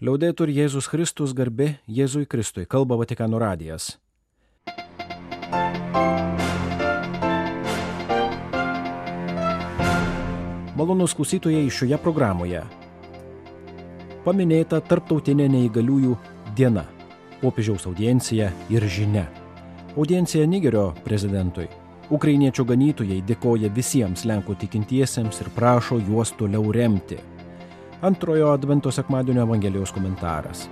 Liaudetur Jėzus Kristus, garbė Jėzui Kristui, kalba Vatikano radijas. Malonūs klausytojai, šioje programoje paminėta Tarptautinė neįgaliųjų diena, popiežiaus audiencija ir žinia. Audiencija Nigerio prezidentui. Ukrainiečių ganytojai dėkoja visiems Lenkų tikintiesiems ir prašo juos toliau remti. Antrojo advento sekmadienio Evangelijos komentaras.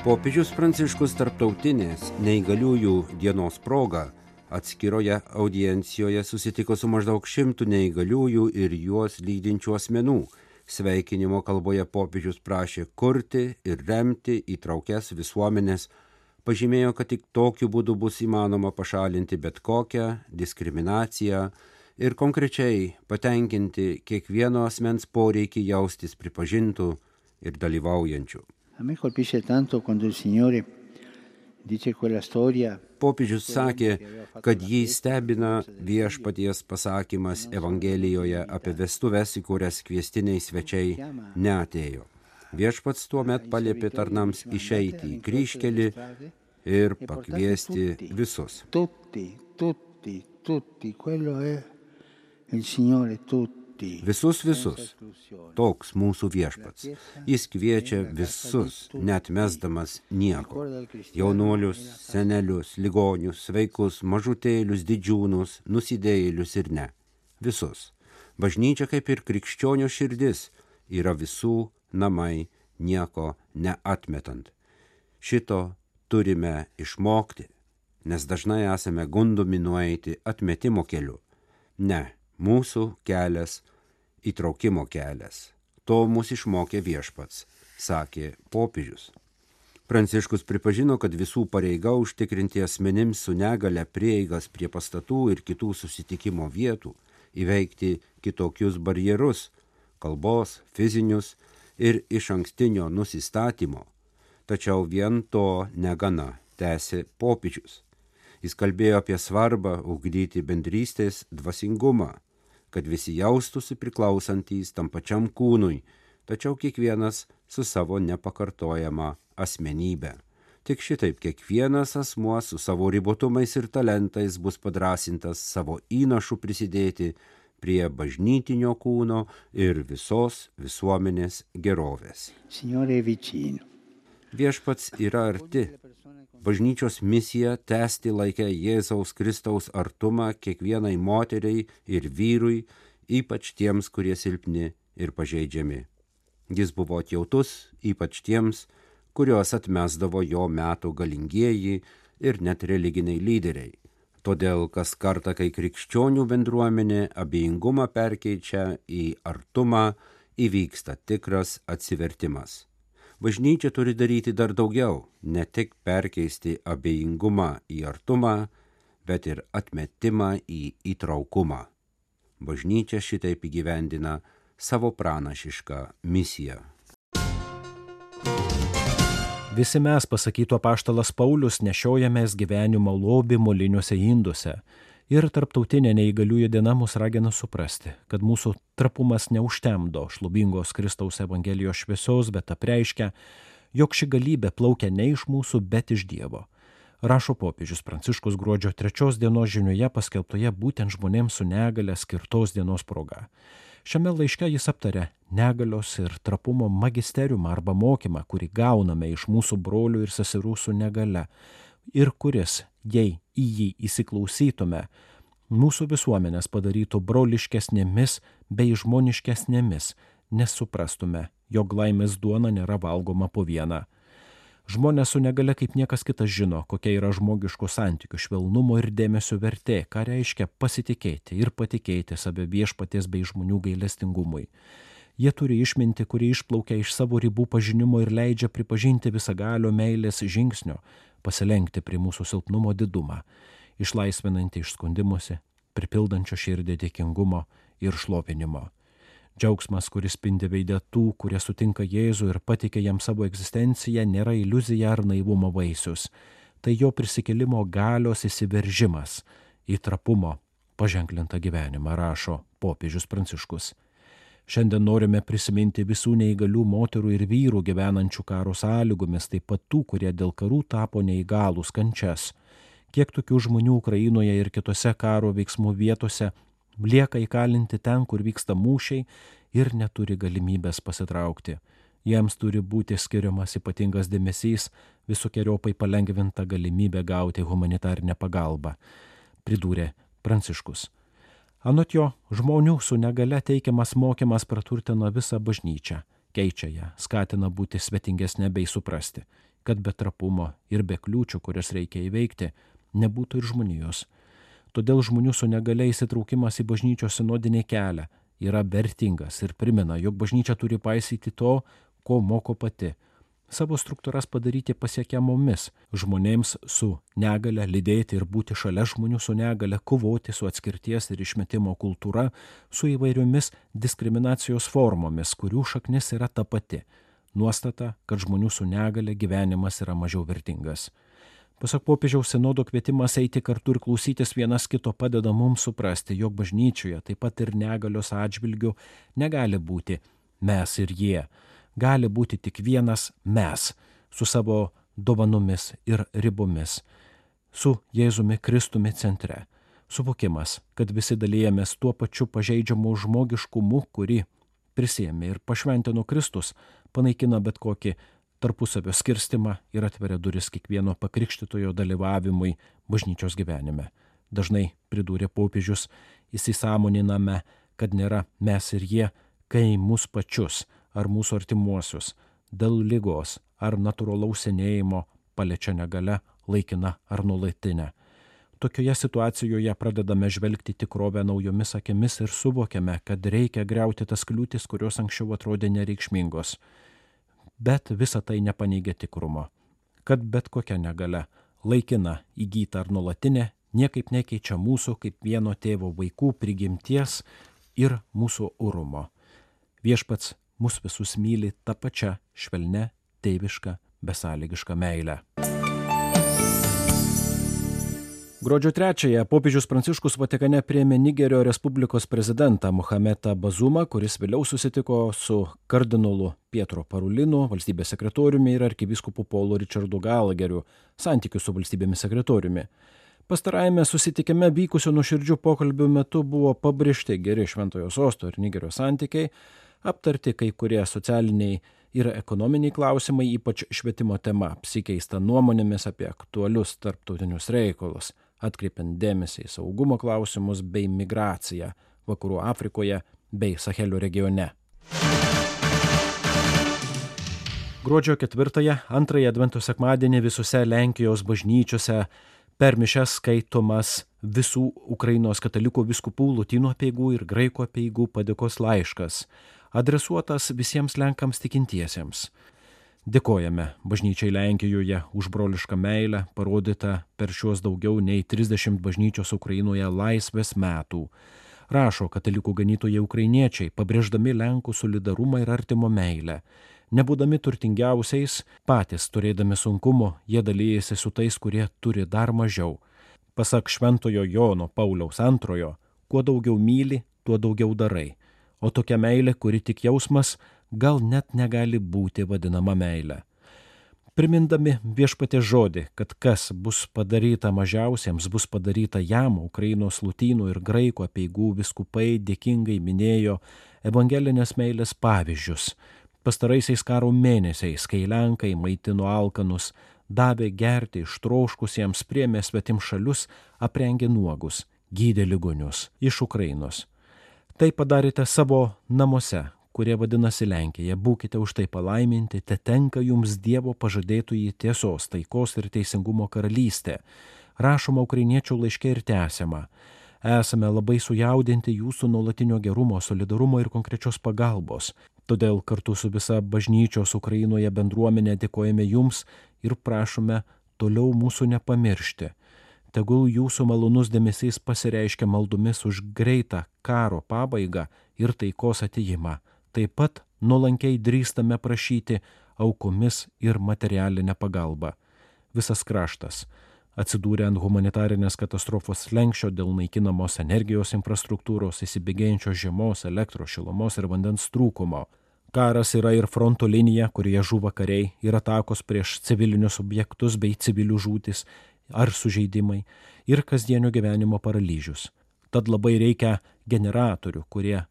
Popiežius Pranciškus Tarptautinės neįgaliųjų dienos proga atskiroje audiencijoje susitiko su maždaug 100 neįgaliųjų ir juos lydinčių asmenų. Sveikinimo kalboje popiežius prašė kurti ir remti įtraukias visuomenės, pažymėjo, kad tik tokiu būdu bus įmanoma pašalinti bet kokią diskriminaciją ir konkrečiai patenkinti kiekvieno asmens poreikį jaustis pripažintų ir dalyvaujančių. Popiežius sakė, kad jį stebina Viešpaties pasakymas Evangelijoje apie vestuves, į kurias kviestiniai svečiai neatėjo. Viešpats tuomet paliepė tarnams išeiti į kryžkelį ir pakviesti visus. Visus. Toks mūsų Viešpats. Jis kviečia visus, neatmesdamas nieko. Jaunuolius, senelius, ligonius, sveikus, mažutėlius, didžiūnus, nusidėjėlius ir ne. Visus. Bažnyčia kaip ir krikščionio širdis yra visų namai, nieko neatmetant. Šito turime išmokti, nes dažnai esame gundomi nueiti atmetimo keliu. Ne, mūsų kelias įtraukimo kelias. To mus išmokė Viešpats, sakė popiežius. Pranciškus pripažino, kad visų pareiga užtikrinti asmenims su negale prieigas prie pastatų ir kitų susitikimo vietų, įveikti kitokius barjerus, kalbos, fizinius ir išankstinio nusistatymo. Tačiau vien to negana, tęsė popiežius. Jis kalbėjo apie svarbą ugdyti bendrystės dvasingumą, kad visi jaustųsi priklausantys tam pačiam kūnui, tačiau kiekvienas su savo nepakartojama asmenybė. Tik šitaip kiekvienas asmuo su savo ribotumais ir talentais bus padrąsintas savo įnašu prisidėti prie bažnytinio kūno ir visos visuomenės gerovės. Viešpats yra arti. Bažnyčios misija tęsti laikę Jėzaus Kristaus artumą kiekvienai moteriai ir vyrui, ypač tiems, kurie silpni ir pažeidžiami. Jis buvo atjautus, ypač tiems, kuriuos atmesdavo jo metų galingieji ir net religiniai lyderiai. Todėl kas kartą, kai krikščionių bendruomenė abejingumą perkeičia į artumą, įvyksta tikras atsivertimas. Bažnyčia turi daryti dar daugiau, ne tik perkeisti abejingumą į artumą, bet ir atmetimą į įtraukumą. Bažnyčia šitaip įgyvendina savo pranašišką misiją. Visi mes, pasakytų apaštalas Paulius, nešiojamės gyvenimo lobį moliniuose induose. Ir Tarptautinė neįgaliųjų diena mus ragina suprasti, kad mūsų trapumas neužtemdo šlovingos Kristaus Evangelijos šviesos, bet apreiškia, jog ši galybė plaukia ne iš mūsų, bet iš Dievo. Rašo popiežius Pranciškus gruodžio 3 dienos žinioje paskelbtoje būtent žmonėms su negale skirtos dienos proga. Šiame laiške jis aptarė negalios ir trapumo magisteriumą arba mokymą, kurį gauname iš mūsų brolių ir seserų su negale ir kuris, jei į jį įsiklausytume, mūsų visuomenės padarytų broliškesnėmis bei žmoniškesnėmis, nes suprastume, jog laimės duona nėra valgoma po vieną. Žmonės su negale kaip niekas kitas žino, kokia yra žmogiškų santykių švelnumo ir dėmesio vertė, ką reiškia pasitikėti ir patikėti save Viešpaties bei žmonių gailestingumui. Jie turi išmintį, kuri išplaukia iš savo ribų pažinimo ir leidžia pripažinti visagalio meilės žingsnio, pasilenkti prie mūsų silpnumo didumą, išlaisvinantį iš skundimuose, pripildančio širdį dėkingumo ir šlovinimo. Džiaugsmas, kuris spindi veide tų, kurie sutinka Jėzų ir pateikia jam savo egzistenciją, nėra iliuzija ar naivumo vaisius. Tai jo prisikėlimo galios įsiveržimas į trapumo, paženklintą gyvenimą, rašo popiežius Pranciškus. Šiandien norime prisiminti visų neįgalių moterų ir vyrų gyvenančių karo sąlygomis, taip pat tų, kurie dėl karų tapo neįgalūs, kančias. Kiek tokių žmonių Ukrainoje ir kitose karo veiksmų vietose lieka įkalinti ten, kur vyksta mūšiai ir neturi galimybės pasitraukti. Jiems turi būti skiriamas ypatingas dėmesys, visokiojopai palengvinta galimybė gauti humanitarinę pagalbą, pridūrė Pranciškus. Anot jo, žmonių su negale teikiamas mokymas praturtina visą bažnyčią, keičia ją, skatina būti svetingesnė bei suprasti, kad be trapumo ir be kliūčių, kurias reikia įveikti, nebūtų ir žmonijos. Todėl žmonių su negale įsitraukimas į bažnyčios sinodinį kelią yra vertingas ir primena, jog bažnyčia turi paisyti to, ko moko pati. Savo struktūras padaryti pasiekiamomis žmonėms su negale, lydėti ir būti šalia žmonių su negale, kovoti su atskirties ir išmetimo kultūra, su įvairiomis diskriminacijos formomis, kurių šaknis yra ta pati. Nuostata, kad žmonių su negale gyvenimas yra mažiau vertingas. Pasak popiežiaus, sinodo kvietimas eiti kartu ir klausytis vienas kito padeda mums suprasti, jog bažnyčioje taip pat ir negalios atžvilgių negali būti mes ir jie. Gali būti tik vienas mes su savo dovanomis ir ribomis, su Jėzumi Kristumi centre. Suvokimas, kad visi dalyjamės tuo pačiu pažeidžiamu žmogiškumu, kurį prisiėmė ir pašventino Kristus, panaikina bet kokį tarpusavio skirstimą ir atveria duris kiekvieno pakrikštytojo dalyvavimui bažnyčios gyvenime. Dažnai, pridūrė popiežius, įsisąmoniname, kad nėra mes ir jie, kai mus pačius ar mūsų artimuosius dėl ligos ar natūralaus senėjimo paliečia negalia, laikina ar nuolatinė. Tokioje situacijoje pradedame žvelgti tikrovę naujomis akimis ir suvokiame, kad reikia griauti tas kliūtis, kurios anksčiau atrodė nereikšmingos. Bet visa tai nepaneigia tikrumo, kad bet kokia negalia, laikina, įgyta ar nuolatinė, niekaip nekeičia mūsų kaip vieno tėvo vaikų prigimties ir mūsų orumo. Viešpats mus visus myli tą pačią švelnę, tėvišką, besąlygišką meilę. Gruodžio 3-ąją popiežius Pranciškus Vatikane priėmė Nigerio Respublikos prezidentą Mohamedą Bazumą, kuris vėliau susitiko su kardinolu Pietro Parulinu, valstybės sekretoriumi ir arkivyskupu Paulu Richardu Galageriu, santykių su valstybėmis sekretoriumi. Pastarajame susitikime vykusio nuoširdžių pokalbių metu buvo pabrėžti geri Šventojo Sosto ir Nigerio santykiai, aptarti kai kurie socialiniai ir ekonominiai klausimai, ypač švietimo tema, apsikeista nuomonėmis apie aktualius tarptautinius reikalus, atkreipiant dėmesį į saugumo klausimus bei migraciją Vakarų Afrikoje bei Sahelio regione. Gruodžio 4-ąją, antrąjį Advento sekmadienį visose Lenkijos bažnyčiose per mišias skaitomas visų Ukrainos katalikų vyskupų lotynų apeigų ir graikų apeigų padėkos laiškas, adresuotas visiems Lenkams tikintiesiems. Dėkojame bažnyčiai Lenkijoje už brolišką meilę, parodytą per šiuos daugiau nei 30 bažnyčios Ukrainoje laisvės metų. Rašo katalikų ganytojai ukrainiečiai, pabrėždami Lenkų solidarumą ir artimo meilę. Nebūdami turtingiausiais, patys turėdami sunkumo, jie dalyjasi su tais, kurie turi dar mažiau. Pasak Šventojo Jono Pauliaus II, kuo daugiau myli, tuo daugiau darai. O tokia meilė, kuri tik jausmas, gal net negali būti vadinama meilė. Primindami Viešpaties žodį, kad kas bus padaryta mažiausiems, bus padaryta jam, Ukrainos lotynų ir graikų apeigų vyskupai dėkingai minėjo evangelinės meilės pavyzdžius. Pastaraisiais karo mėnesiais, kai Lenkai maitino alkanus, davė gerti ištroškusiems, priėmė svetimšalius, aprengė nuogus, gydė ligonius iš Ukrainos. Tai padarėte savo namuose, kurie vadinasi Lenkija. Būkite už tai palaiminti, te tenka jums Dievo pažadėtųjį tiesos, taikos ir teisingumo karalystė. Rašoma ukrainiečių laiške ir tęsiama. Esame labai sujaudinti jūsų nuolatinio gerumo, solidarumo ir konkrečios pagalbos. Todėl kartu su visa bažnyčios Ukrainoje bendruomenė dėkojame jums ir prašome toliau mūsų nepamiršti. Tegul jūsų malonus dėmesys pasireiškia maldomis už greitą karo pabaigą ir taikos atėjimą. Taip pat nuolankiai drįstame prašyti aukomis ir materialinę pagalbą. Visas kraštas, atsidūrę ant humanitarinės katastrofos slenksčio dėl naikinamos energijos infrastruktūros, įsibėgėjančios žiemos, elektros, šilumos ir vandens trūkumo. Karas yra ir fronto linija, kurioje žūva kariai, ir atakos prieš civilinius objektus bei civilių žūtis ar sužeidimai, ir kasdienio gyvenimo paralyžius. Tad labai reikia generatorių, kurie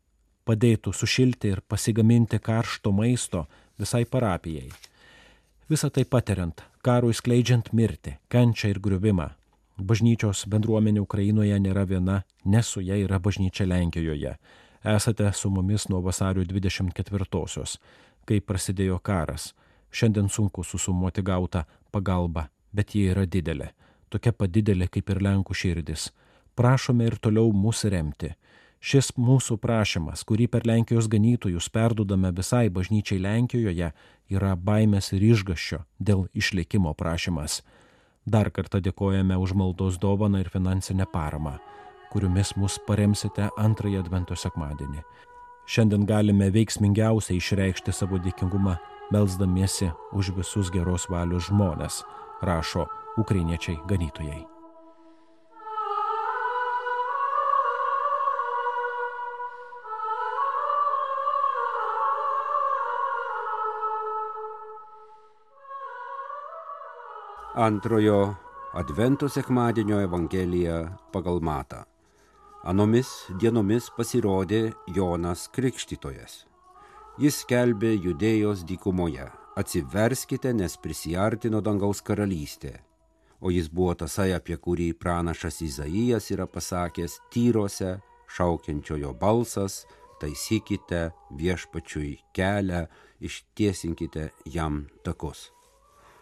padėtų sušilti ir pasigaminti karšto maisto visai parapijai. Visą tai patiriant, karui skleidžiant mirtį, kančią ir griuvimą. Bažnyčios bendruomenė Ukrainoje nėra viena, nes su ja yra bažnyčia Lenkijoje. Esate su mumis nuo vasario 24-osios, kai prasidėjo karas. Šiandien sunku susumuoti gautą pagalbą, bet ji yra didelė. Tokia pat didelė kaip ir Lenkų širdis. Prašome ir toliau mūsų remti. Šis mūsų prašymas, kurį per Lenkijos ganytojus perdudame visai bažnyčiai Lenkijoje, yra baimės ir išgąsčio dėl išlikimo prašymas. Dar kartą dėkojame už maldos dovaną ir finansinę paramą, kuriomis mus paremsite antrąjį Advento sekmadienį. Šiandien galime veiksmingiausiai išreikšti savo dėkingumą, melsdamiesi už visus geros valios žmones, rašo ukrainiečiai ganytojai. Antrojo Advento sekmadienio Evangelija pagal Matą. Anomis dienomis pasirodė Jonas Krikštytojas. Jis skelbė Judėjos dykumoje: atsiverskite, nes prisiartino dangaus karalystė. O jis buvo tasai, apie kurį pranašas Izaijas yra pasakęs: tyrose šaukiančiojo balsas, taisykite viešpačiui kelią, ištiesinkite jam takus.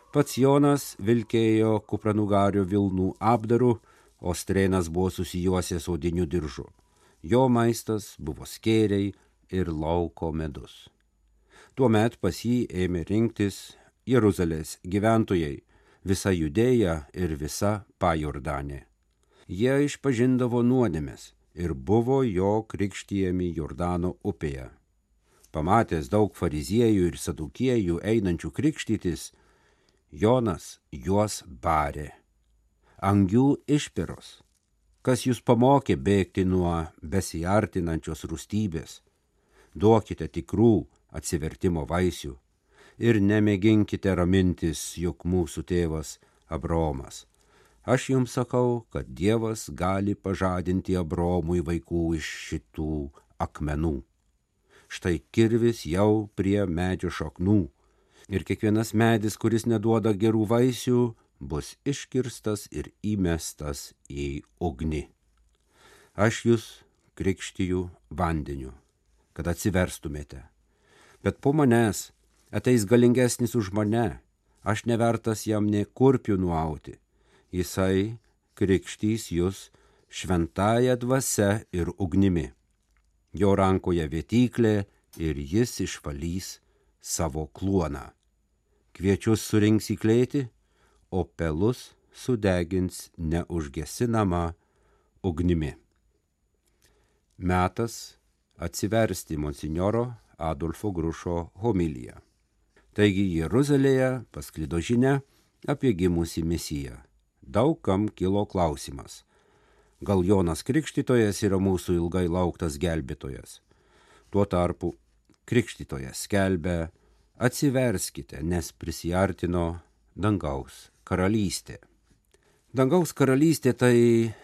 Pats Jonas vilkėjo kupranugario vilnų apdaru, o strėnas buvo susijuosęs odiniu diržu. Jo maistas buvo skėriai ir lauko medus. Tuomet pas jį ėmė rinktis Jeruzalės gyventojai, visa Judėja ir visa Pajordanė. Jie išpažindavo nuodėmes ir buvo jo krikštijami Jordano upėje. Pamatęs daug fariziejų ir sadukiejų einančių krikštytis, Jonas juos barė: angių išpiros, kas jūs pamokė bėgti nuo besiartinančios rūstybės? Duokite tikrų atsivertimo vaisių ir nemėginkite ramintis, jog mūsų tėvas Abraomas. Aš jums sakau, kad Dievas gali pažadinti Abraomui vaikų iš šitų akmenų. Štai kirvis jau prie medžio šaknų. Ir kiekvienas medis, kuris neduoda gerų vaisių, bus iškirstas ir įmestas į ugnį. Aš jūs krikštiju vandeniu, kad atsiverstumėte. Bet po manęs ateis galingesnis už mane, aš nevertas jam nė kurpių nuauti. Jisai krikštys jūs šventąja dvasia ir ugnimi. Jo rankoje vėtyklė ir jis išvalys savo kluoną. Kviečius surinks į klėtį, o pelus sudegins neužgesinama ugnimi. Metas atsiversti monsinjoro Adolfo Grušo homiliją. Taigi Jeruzalėje pasklido žinia apie gimusį Mesiją. Daug kam kilo klausimas: gal Jonas Krikštytojas yra mūsų ilgai lauktas gelbėtojas? Tuo tarpu Krikštytojas skelbia: atsiverskite, nes prisiartino dangaus karalystė. Dangaus karalystė tai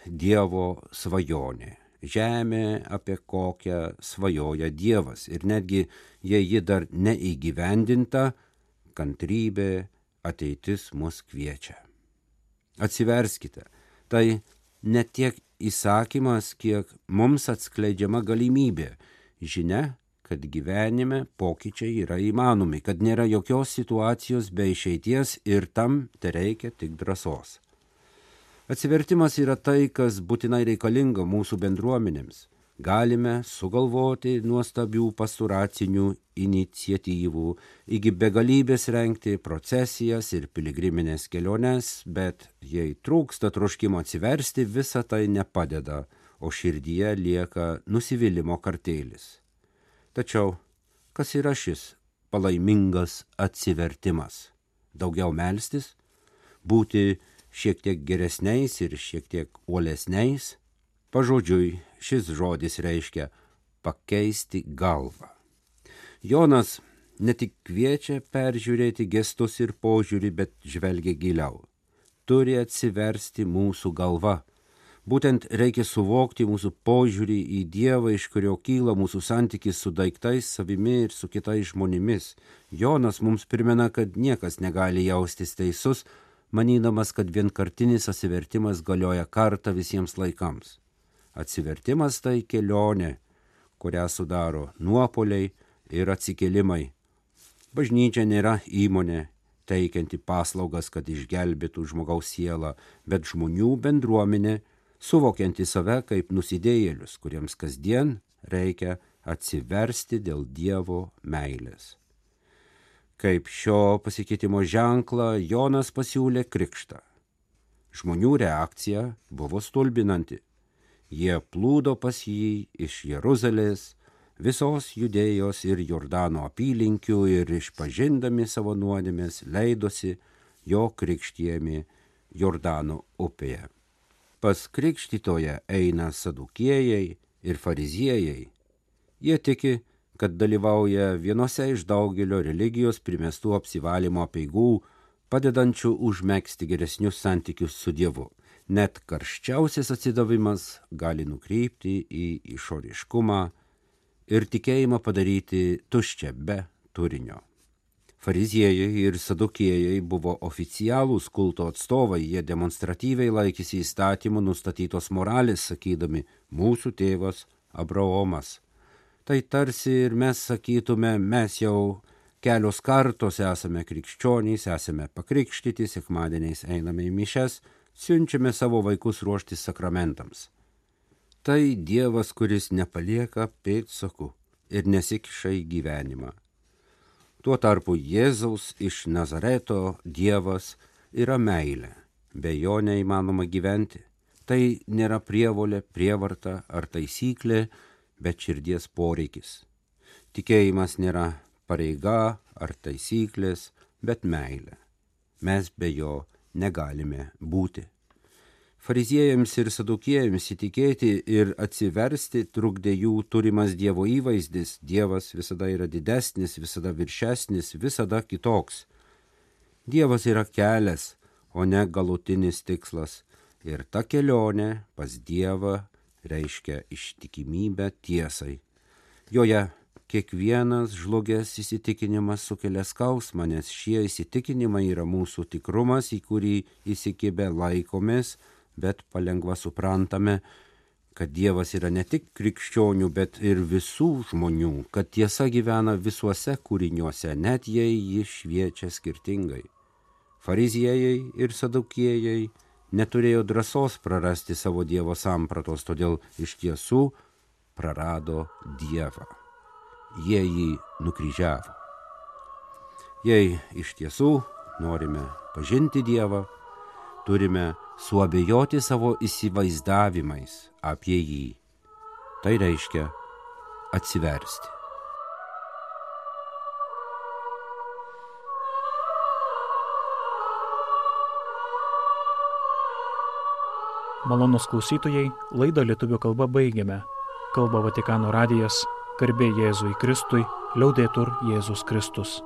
Dievo svajonė. Žemė, apie kokią svajoja Dievas. Ir netgi, jei ji dar neįgyvendinta, kantrybė, ateitis mus kviečia. Atsiverskite. Tai ne tiek įsakymas, kiek mums atskleidžiama galimybė. Žinia, kad gyvenime pokyčiai yra įmanomi, kad nėra jokios situacijos be išeities ir tam tereikia tik drąsos. Atsivertimas yra tai, kas būtinai reikalinga mūsų bendruomenėms. Galime sugalvoti nuostabių pastoracinių iniciatyvų, iki begalybės rengti procesijas ir piligriminės keliones, bet jei trūksta troškimo atsiversti, visa tai nepadeda, o širdyje lieka nusivylimo kartėlis. Tačiau, kas yra šis palaimingas atsivertimas? Daugiau melstis? Būti šiek tiek geresniais ir šiek tiek uolesniais. Pažodžiui, šis žodis reiškia pakeisti galvą. Jonas ne tik kviečia peržiūrėti gestus ir požiūrį, bet žvelgia giliau. Turi atsiversti mūsų galva. Būtent reikia suvokti mūsų požiūrį į Dievą, iš kurio kyla mūsų santykis su daiktais, savimi ir su kitais žmonėmis. Jonas mums primena, kad niekas negali jaustis teisus, manydamas, kad vienkartinis atsivertimas galioja kartą visiems laikams. Atsivertimas tai kelionė, kurią sudaro nuopuoliai ir atsikėlimai. Bažnyčia nėra įmonė, teikianti paslaugas, kad išgelbėtų žmogaus sielą, bet žmonių bendruomenė, suvokianti save kaip nusidėjėlius, kuriems kasdien reikia atsiversti dėl Dievo meilės. Kaip šio pasikeitimo ženklą Jonas pasiūlė krikštą. Žmonių reakcija buvo stulbinanti. Jie plūdo pas jį iš Jeruzalės, visos Judėjos ir Jordano apylinkių ir išpažindami savo nuodėmes leidosi jo krikštijami Jordano upėje. Pas krikštytoją eina sadukiejai ir fariziejai. Jie tiki, kad dalyvauja vienose iš daugelio religijos primestų apsivalymo apeigų, padedančių užmegzti geresnius santykius su Dievu. Net karščiausias atsidavimas gali nukrypti į išoriškumą ir tikėjimą padaryti tuščią be turinio. Fariziejai ir sadukiejai buvo oficialūs kulto atstovai, jie demonstratyviai laikėsi įstatymų nustatytos moralės, sakydami, mūsų tėvas Abraomas. Tai tarsi ir mes sakytume, mes jau kelios kartos esame krikščionys, esame pakrikštyti, sekmadieniais einame į mišias, siunčiame savo vaikus ruoštis sakramentams. Tai Dievas, kuris nepalieka pėdsakų ir nesikiša į gyvenimą. Tuo tarpu Jėzaus iš Nazareto Dievas yra meilė, be jo neįmanoma gyventi. Tai nėra prievolė, prievarta ar taisyklė, bet širdies poreikis. Tikėjimas nėra pareiga ar taisyklės, bet meilė. Mes be jo negalime būti. Fariziejams ir sadukiejams įtikėti ir atsiversti trukdė jų turimas Dievo įvaizdis. Dievas visada yra didesnis, visada viršesnis, visada kitoks. Dievas yra kelias, o ne galutinis tikslas. Ir ta kelionė pas Dievą reiškia ištikimybę tiesai. Joje kiekvienas žlugęs įsitikinimas sukelia skausmą, nes šie įsitikinimai yra mūsų tikrumas, į kurį įsikibę laikomės, bet palengva suprantame, kad Dievas yra ne tik krikščionių, bet ir visų žmonių, kad tiesa gyvena visuose kūriniuose, net jei ji šviečia skirtingai. Fariziejai ir sadukiejai neturėjo drąsos prarasti savo Dievo sampratos, todėl iš tiesų prarado Dievą. Jie jį nukryžiavo. Jei iš tiesų norime pažinti Dievą, turime suabejoti savo įsivaizdavimais apie jį. Tai reiškia atsiversti. Malonūs klausytojai, laidą lietuvių kalba baigiame. Kalba Vatikano radijas, garbė Jėzui Kristui, liaudetur Jėzus Kristus.